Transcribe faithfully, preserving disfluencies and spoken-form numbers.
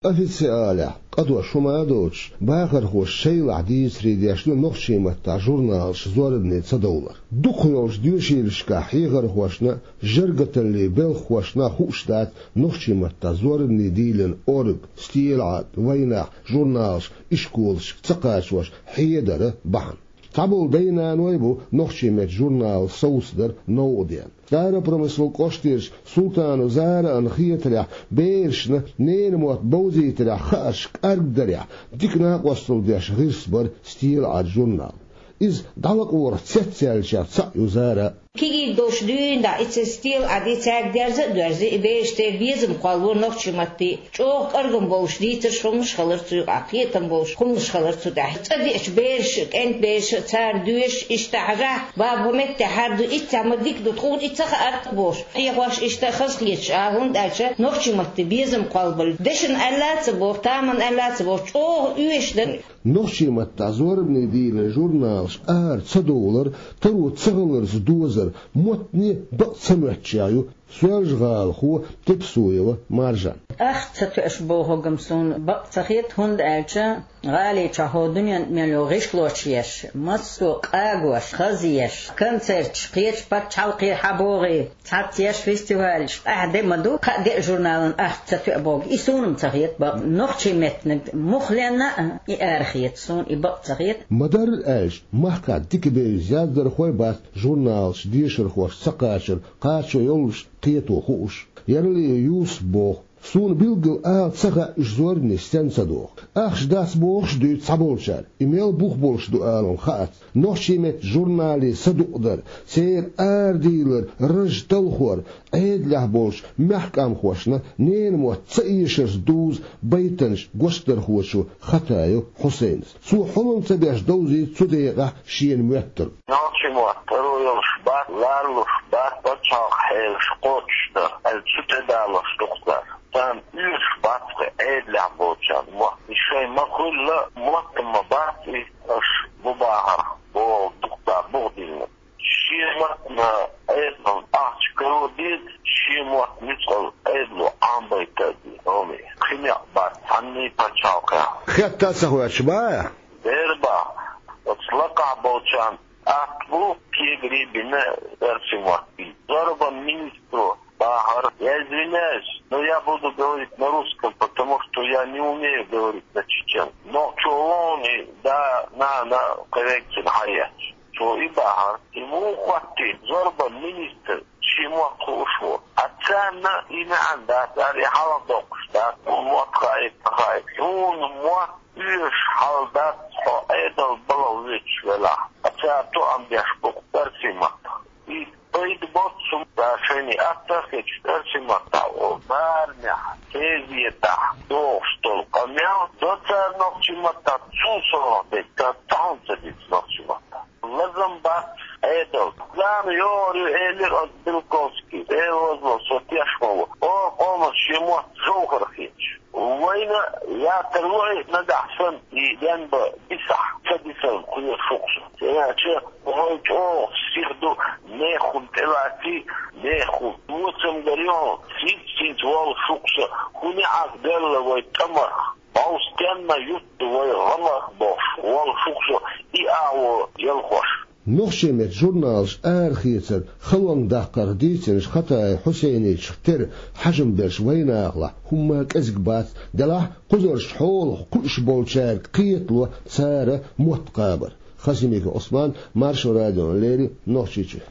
Официалехь, къа дош хӀума а доцуш, бахархоша шайлахь дийцаре деш ду нохчийн маттахь журналаш зорбане ца довлар. Дукхах йолчу доьшийлашкахь хьехархошна, жаргаталлин белхахошна хууш дац нохчийн маттахь зорбане дийлина орга, стелаӀад, вайнах, журналаш ишколашка ца кхачош хьедар бахьана. Цхьаболу дай-наной бу нохчийн меттан журнал совцадар новкъа деана. Старопромыслан кӀоштарчу Султанова Зараана хетарехь, берашна ненан мотт бовзийтарехь хаарш кӀаргдарехь, дика накъосталла деш гӀирс бара стелаӀад журнал. Иза дӀалакъорах цецъяьллачех цхьаъ ю Зара. Кегийриг долуш дуьйна дӀа и церан стелаӀад, и цаьрга дерза а доьрзий, и бераш церан безам кхоллало нохчийн маттахь. ЧӀогӀа кӀоргам болуш дийцарш хӀуманаш хилар цу юкъахь, кхетам болуш хӀуманаш хилар цу тӀехь. ЦӀа деача бераш, кӀентан бераш, цара доьшуш, иштта хьажахь, баба, хӀун меттехь хӀара ду, иццехь ма дика ду, тхуна и ца хаьара бохуш, хьехош иштта хазахеташ а, хӀунда аьлча нохчийн маттахь безам кхоллабалар. Дешна аьлла а ца боху, тамашийна аьлла а ца боху, чӀогӀа оьшуш дара. Нохчийн маттахь зорбане дийлина журналаш ара ца довлар, таро ца хиларца дозар, маттане бакъ ца моьттучех ю Соьлжа-ГӀалахо Тепсуева Маржан. Ахча ца тоьаш бохург-м суна бакъ ца хета, хӀунда аьлча гӀали чохь хӀокху дуьненна мел йолу гӀишлош еш, массо а къагош, хазъеш, концерташ, кхечу пачхьалкхе хьабогӀий, цхьацца еш фестивалаш, къаьхьа де ма ду, кхаа-деа журналан ахча ца тоьа бохург. И суна-м ца хета бакъ. Нохчийн меттаниг мухха лаьцна а, и ара хета суна, и бакъ ца хета. Ма-дарра аьлча, махкахь дика бевза яздархой бац журналаш дешархошка ца кхачар, кхачо йолуш кхето хууш. Яралиев Юсупа боху: «Суна билггал ала ца хаьа, уьш зорбане стенна ца доху. Ахча дац бохуш а дуьйцу цхьаболчара, и мел бух болуш ду ала-м хаац. Нохчийн меттан журнале садукъадар, церан арадийлар, раж талхор, Ӏедалехь болчу мехкан къомхошна ненан мотт ца эшарца дузу байтанаш гочдархочо Хатаев Хьусайнас. Цо хьулам ца беш довзуьйту цу декъехь шена моьттург». Нохчийн мотт таро йолуш бац, ларлуш бац, пачхьалкхан хьелаш кхочушдан аьлла цу тӀе далош ду-кх цара. Царна оьшуш бац-кх Ӏедалехь болчарна мотт. И шайн ма-хуьллу, мотт-м ма бац и, аша бу бахарх боху дукха цара бух диллина. Шен маттана Ӏедална ахча каро деза, шен мотт нуьцкъала Ӏедало Ӏамабайта а деза, хӀоме. Кхин некъ бац цхьанний пачхьалкхехь. Хетта а ца хоьттуш бац? Бер бац. Оцу лакхахь болчарна атта бу кегари бина оьрсийн мотт бийца. Зорбанан министро бахара: «Я извиняюсь, но я буду говорить на русском, потому что я не умею говорить на чеченском». Нохчо вон и да, нана коррекцина хьаетташ. Цо и бахара. И муха хӀоттийна зорбанан министр, шен мотт хууш ву? А царна и маьӀна дац, ара и хьалха доккхуш дац, хӀун мотт хаийта, ца хаийта. Хьуна мотт оьшуш хьал дац, хьо Ӏедал балха воьдуш велахь. Ткъа цара тоам беш бу-кх оьрсийн маттах. И пайда боццу, цара шайна атта а хеташ, оьрсийн маттахь, о, барамехь, газетехь дохуш долу къамел до цара нохчийн маттахь, цул совнаха дерг цара цхьа хӀума ца дийцина нохчийн маттахь. Лазам бац Ӏедална. Зама йогӀур ю, элира оцу Белковский, Дела возло, со теш ма ву. О, къоман шен мотт жовхӀар хеташ. Вайна яттар ло и нагахь санна, и денбан дисахь, ца дисарна кхоьру шу-кх со. ХӀунда аьлча вай чӀогӀа сиха ду, нехан хӀума тӀелаций, нехан хӀума. Воцамгар ю хьуна, синца-синца волу шу-кх со, хӀун неӀарх делла вай тӀамарх, бовстенна ютта вай гӀамарх бохуш волу шу-кх со, и агӀо ялхош. Нохчийн меттан журналаш арахецар, халонга даккхарх дийцинчу Хатаев Хьусайничех тера хьажам берш вайнахалахь хӀумма а кӀезиг бац, делахь а кхузаршна хьолах кхуьуш болчаьрга кхетало цара мотт кхабар. Хасимиков Ӏусман, Маршо радиона леррина, Нохчийчоь.